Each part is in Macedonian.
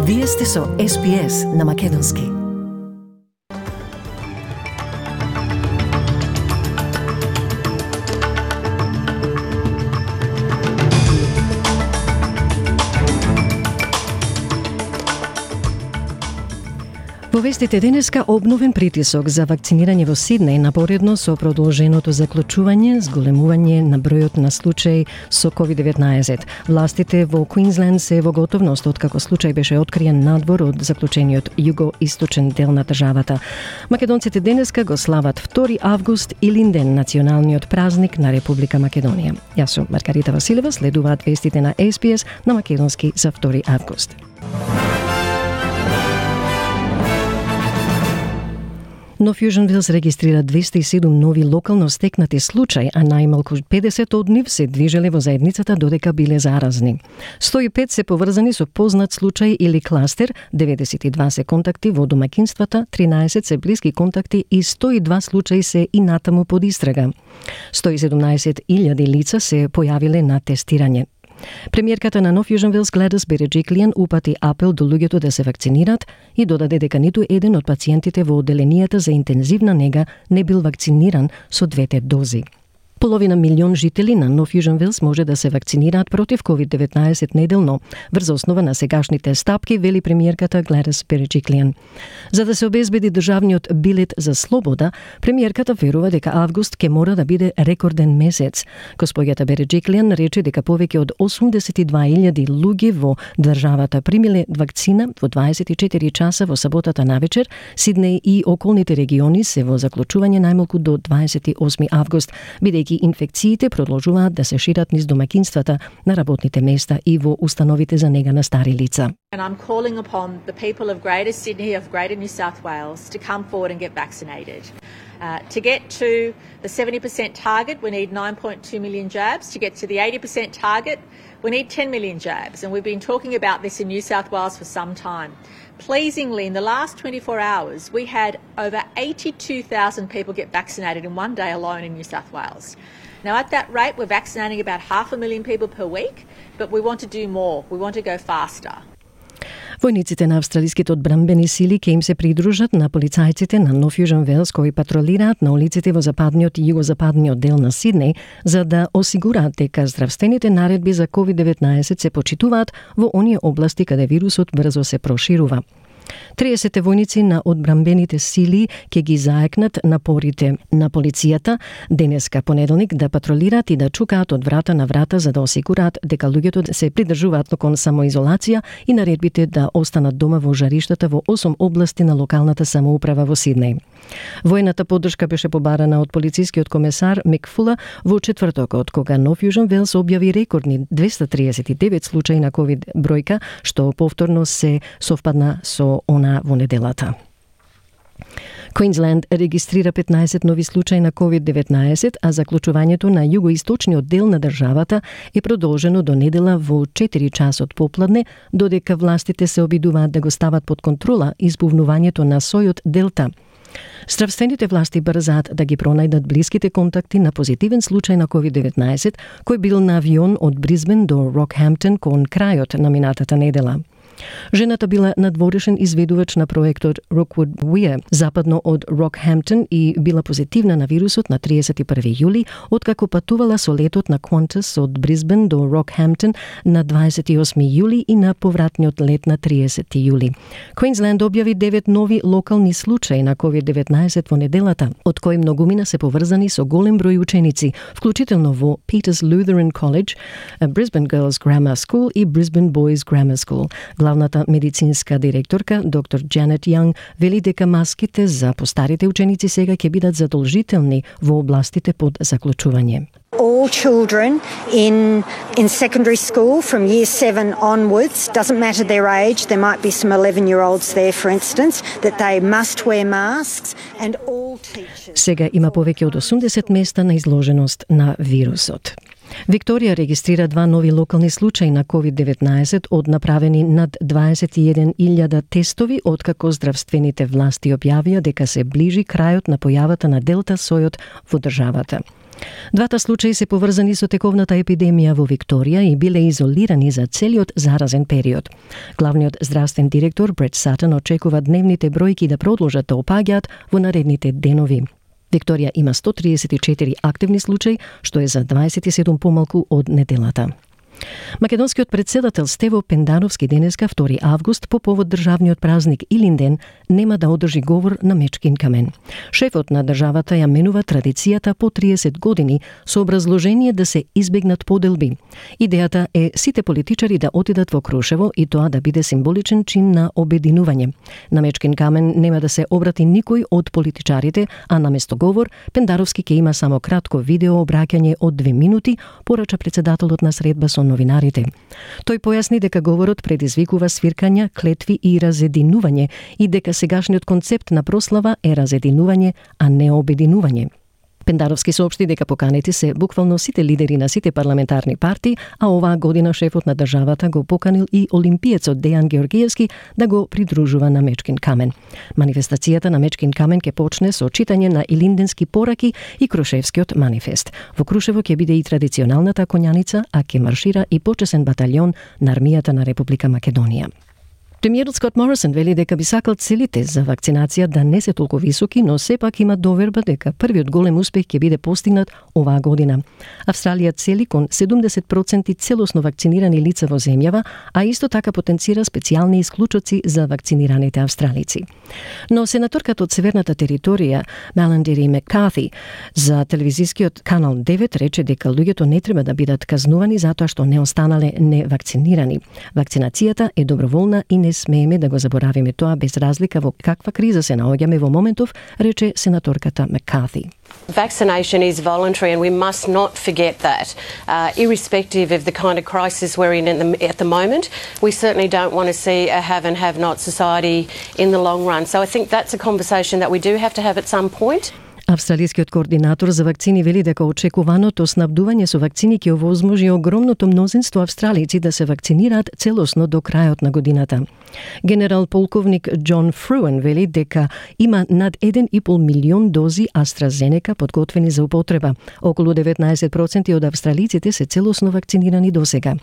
Вие сте со SPS на Македонски. Во вестите денеска обновен притисок за вакцинирање во Сиднеј напоредно со продолженото заклучување, зголемување на бројот на случаи со COVID-19. Властите во Квинсленд се во готовност откако случај беше откриен надвор од заклучениот југо-источен дел на државата. Македонците денеска го слават 2 август Илинден, националниот празник на Република Македонија. Јас сум Маргарита Василева, следуваат вестите на SPS на Македонски за 2 август. Но Fusion Wills регистрира 207 нови локално стекнати случаи, а најмалку 50 од нив се движеле во заедницата додека биле заразни. 105 се поврзани со познат случај или кластер, 92 се контакти во домаќинствата, 13 се блиски контакти и 102 случаи се и натаму под истрага. 117.000 лица се појавиле на тестирање. Премиерката на Нов Южен Велс Гледис Береджиклијан упати апел до луѓето да се вакцинират и додаде дека ниту еден од пациентите во оделенијата за интензивна нега не бил вакциниран со 2 дози. Половина милион жители на Нов Южен Велс може да се вакцинираат против COVID-19 неделно, врз основа на сегашните стапки, вели премиерката Гледис Береджиклијан. За да се обезбеди државниот билет за слобода, премиерката верува дека август ќе мора да биде рекорден месец. Госпоѓата Береджиклијан рече дека повеќе од 82.000 луѓе во државата примиле вакцина во 24 часа во саботата навечер. Сиднеј и околните региони се во заклучување најмалку до 28 август, бидејќи инфекциите продолжуваат да се шират низ домаќинствата, на работните места и во установите за нега на стари лица. And I'm calling upon the people of Greater Sydney, of Greater New South Wales, to come forward and get vaccinated. To get to the 70% target, we need 9.2 million jabs. To get to the 80% target, we need 10 million jabs. And we've been talking about this in New South Wales for some time. Pleasingly, in the last 24 hours, we had over 82,000 people get vaccinated in one day alone in New South Wales. Now, at that rate, we're vaccinating about 500,000 people per week, but we want to do more. We want to go faster. Војниците на австралиските одбранбени сили ќе им се придружат на полицајците на Нов Южен Велс кои патролираат на улиците во западниот и југозападниот дел на Сиднеј за да осигураат дека здравствените наредби за COVID-19 се почитуваат во оние области каде вирусот брзо се проширува. 30 војници на одбранбените сили ќе ги заекнат напорите на полицијата денеска понеделник да патролираат и да чукаат од врата на врата за да осигураат дека луѓето се придржуваат кон самоизолација и наредбите да останат дома во жариштата во 8 области на локалната самоуправа во Сиднеј. Војната поддршка беше побарана од полицискиот комесар Мик Фула во четвртокот, кога Нов Южен Велс објави рекордни 239 случаи на ковид бројка, што повторно се совпадна со она во неделата. Квинсленд регистрира 15 нови случаи на COVID-19, а заклучувањето на југоисточниот дел на државата е продолжено до недела во 4 часот попладне, додека властите се обидуваат да го стават под контрола избувнувањето на сојот Делта. Здравствените власти брзаат да ги пронајдат блиските контакти на позитивен случај на COVID-19, кој бил на авион од Брисбен до Рокхемптон кон крајот на минатата недела. Жената била надворешен изведувач на проектот Rookwood Weir, западно од Рокхемптон и била позитивна на вирусот на 31 јули, откако патувала со летот на Qantas од Брисбен до Рокхемптон на 28 јули и на повратниот лет на 30 јули. Квинсленд објави 9 нови локални случаи на COVID-19 во неделата, од кои многумина се поврзани со голем број ученици, вклучително во Peters Lutheran College, Brisbane Girls Grammar School и Brisbane Boys Grammar School. Главната медицинска директорка, доктор Джанет Јанг, вели дека маските за постарите ученици сега ќе бидат задолжителни во областите под заклучување. All children in secondary school from year 7 onwards, doesn't matter their age, there might be some 11-year-olds there for instance, that they must wear masks and all teachers. Сега има повеќе од 80 места на изложеност на вирусот. Викторија регистрира 2 нови локални случаи на COVID-19 од направени над 21.000 тестови, откако здравствените власти објавија дека се ближи крајот на појавата на Делта сојот во државата. Двата случаи се поврзани со тековната епидемија во Викторија и биле изолирани за целиот заразен период. Главниот здравствен директор Брет Сатан очекува дневните бројки да продолжат да опаѓаат во наредните денови. Викторија има 134 активни случаи, што е за 27 помалку од неделата. Македонскиот председател Стево Пендановски денеска 2 август по повод државниот празник Илинден нема да одржи говор на Мечкин камен. Шефот на државата ја менува традицијата по 30 години со образложение да се избегнат поделби. Идејата е сите политичари да отидат во Крушево и тоа да биде символичен чин на обединување. На Мечкин камен нема да се обрати никој од политичарите, а наместо говор Пендаровски ќе има само кратко видео обраќање од 2 минути, порача председателот на средба со новинарите. Тој појасни дека говорот предизвикува свиркања, клетви и разединување и дека сегашниот концепт на прослава е разединување, а не обединување. Пендаровски соопшти дека поканети се буквално сите лидери на сите парламентарни партии, а оваа година шефот на државата го поканил и олимпиецот Дејан Георгиевски да го придружува на Мечкин камен. Манифестацијата на Мечкин камен ќе почне со читање на илинденски пораки и Крушевскиот манифест. Во Крушево ќе биде и традиционалната коњаница, а ќе маршира и почесен баталјон на армијата на Република Македонија. Премиерот Скот Морисон вели дека би сакал целите за вакцинација да не се толку високи, но сепак има доверба дека првиот голем успех ќе биде постигнат оваа година. Австралија цели кон 70% целосно вакцинирани лица во земјава, а исто така потенцира специјални исклучоци за вакцинираните австралици. Но сенаторката од Северната територија Меландери Маккарти за телевизискиот канал 9 рече дека луѓето не треба да бидат казнувани затоа што не останале невакцинирани. Вакцинацијата е доброволна и не смееме да го заборавиме тоа без разлика во каква криза се наоѓаме во моментов, рече сенаторката Маккарти. Vaccination is voluntary and we must not forget that. Irrespective of the kind of crisis we're in at the moment, we certainly don't want to see a have and have not society in the long run. So I think that's a conversation that we do have to have at some point. Австралискиот координатор за вакцини вели дека очекуваното снабдување со вакцини ќе овозможи огромното мнозинство австралици да се вакцинираат целосно до крајот на годината. Генерал полковник Џон Фруен вели дека има над 1,5 милион дози AstraZeneca подготвени за употреба. Околу 19% од австралиците се целосно вакцинирани досега.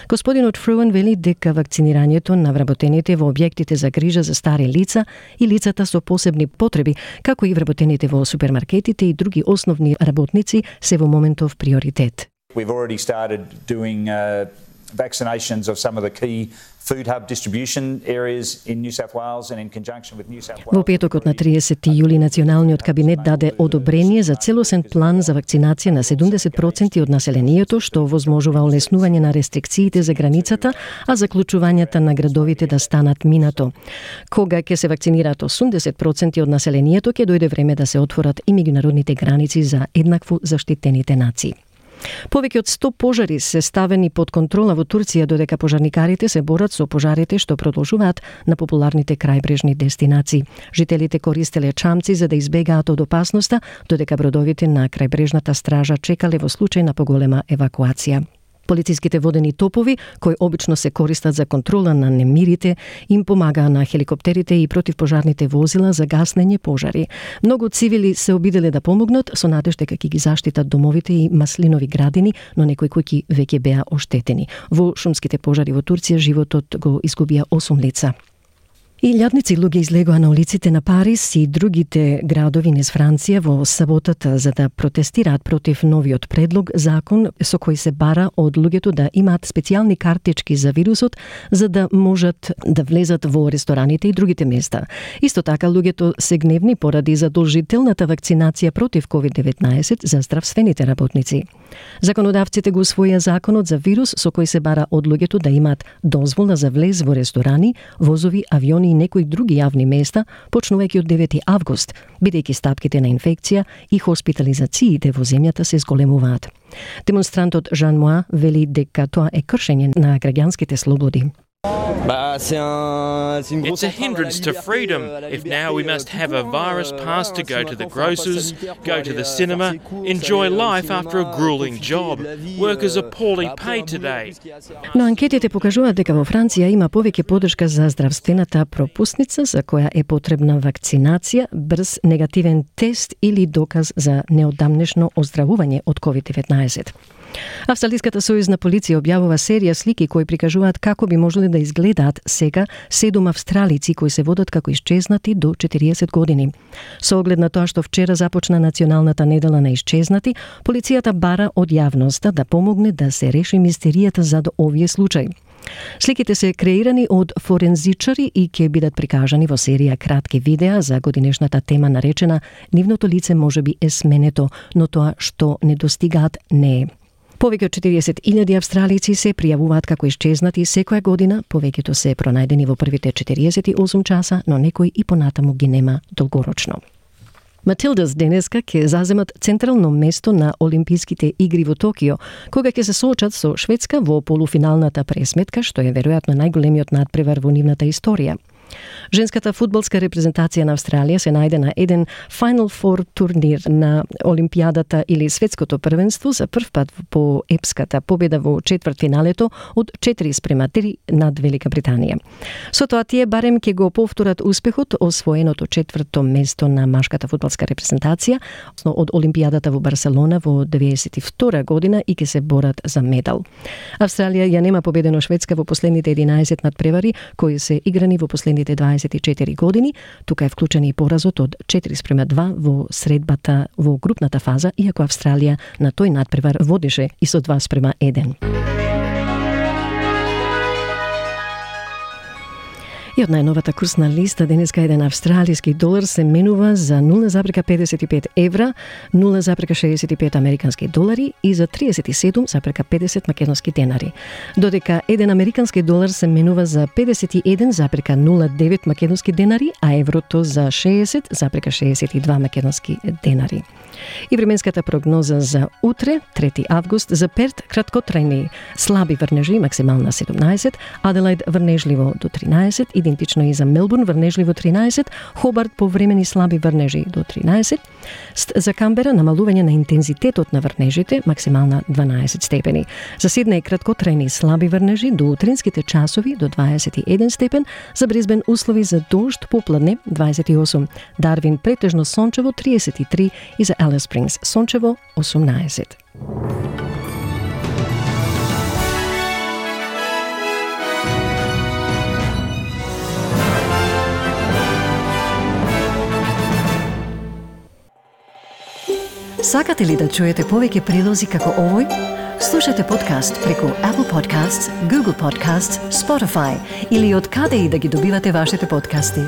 Господинот Фруен вели дека вакцинирањето на вработените во објектите за грижа за стари лица и лицата со посебни потреби, како и вработените во супермаркетите и други основни работници се во моментов приоритет. We've already started doing vaccinations of some of the key food hub distribution areas in New South Wales and in conjunction with New South Wales. Во петокот на 30 јули националниот кабинет даде одобрение за целосен план за вакцинација на 70% од населението, што возможува олеснување на рестрикциите за границата, а заклучувањата на градовите да станат минато. Кога ќе се вакцинираат 80% од населението, ќе дојде време да се отворат и меѓународните граници за еднакво заштитените нации. Повеќе од 100 пожари се ставени под контрола во Турција, додека пожарникарите се борат со пожарите што продолжуваат на популарните крајбрежни дестинации. Жителите користеле чамци за да избегаат од опасноста, додека бродовите на крајбрежната стража чекале во случај на поголема евакуација. Полициските водени топови, кои обично се користат за контрола на немирите, им помагаа на хеликоптерите и противпожарните возила за гаснење пожари. Многу цивили се обиделе да помогнат со надеж дека ќе ги заштитат домовите и маслинови градини, но некои куќи веќе беа оштетени. Во шумските пожари во Турција животот го изгубија 8 лица. Илјадници луѓе излегоа на улиците на Париз и другите градови низ Франција во саботата за да протестираат против новиот предлог закон со кој се бара од луѓето да имаат специјални картички за вирусот за да можат да влезат во рестораните и другите места. Исто така луѓето се гневни поради задолжителната вакцинација против COVID-19 за здравствените работници. Законодавците го усвоија законот за вирус со кој се бара од луѓето да имаат дозвола за влез во ресторани, возови, авиони и некои други јавни места, почнувајќи од 9 август, бидејќи стапките на инфекција и хоспитализациите во земјата се зголемуваат. Демонстрантот Жан Моа вели дека тоа е кршење на граѓанските слободи. It's a hindrance to freedom. If now we must have a virus pass to go to the grocers, go to the cinema, enjoy life after a grueling job. Workers are poorly paid today. Но анкетите покажуваат дека во Франција има повеќе поддршка за здравствената пропусница за која е потребна вакцинација, брз негативен тест или доказ за неодамнешно оздравување од COVID-19. Австралиската сојузна полиција објавува серија слики кои прикажуваат како би можеле да изгледаат сега 7 австралици кои се водат како исчезнати до 40 години. Со оглед на тоа што вчера започна националната недела на исчезнати, полицијата бара од јавноста да помогне да се реши мистеријата за овие случаи. Сликите се креирани од форензичари и ќе бидат прикажани во серија кратки видеа за годинешната тема наречена "Нивното лице можеби е сменето, но тоа што не достигаат не е". Повеќе од 40.000 австралици се пријавуваат како исчезнати секоја година, повеќето се пронајдени во првите 48 часа, но некои и понатаму ги нема долгорочно. Матилдас денеска ќе заземат централно место на Олимписките игри во Токио, кога ќе се соочат со Шведска во полуфиналната пресметка, што е веројатно најголемиот надпревар во нивната историја. Женската фудбалска репрезентација на Австралија се најде на еден Final Four турнир на Олимпијадата или светското првенство за прв пат по епската победа во четвртфиналето од 4:3 над Велика Британија. Со тоа тие барем ќе го повторат успехот освоеното четврто место на машката фудбалска репрезентација од Олимпијадата во Барселона во 1992 година и ќе се борат за медал. Австралија ја нема победено Шведска во последните 11 надпревари кои се играни во последните 24 години. Тука е вклучен и поразот од 4:2 во средбата во групната фаза, иако Австралија на тој надпревар водеше и со 2:1. И од најновата курсна листа денеска еден австралиски долар се менува за 0,55 евра, 0,65 американски долари и за 37,50 македонски денари. Додека еден американски долар се менува за 51,09 македонски денари, а еврото за 60,62 македонски денари. И временската прогноза за утре, 3 август, за Перт краткотрајни слаби врнежи, максимална 17, Аделајд врнежливо до 13, идентично и за Мелбурн врнежливо 13, Хобарт повремени слаби врнежи до 13, за Камбера намалување на интензитетот на врнежите, максимална 12 степени. За Сиднеј краткотрајни слаби врнежи до утринските часови до 21 степен, за Брисбен услови за дожд попладне 28, Дарвин претежно сончево 33 и за Алис Спрингс сончево 18. Сакате ли да чуете повеќе прилози како овој? Слушате подкаст преку Apple Podcasts, Google Podcasts, Spotify или од каде и да ги добивате вашите подкасти.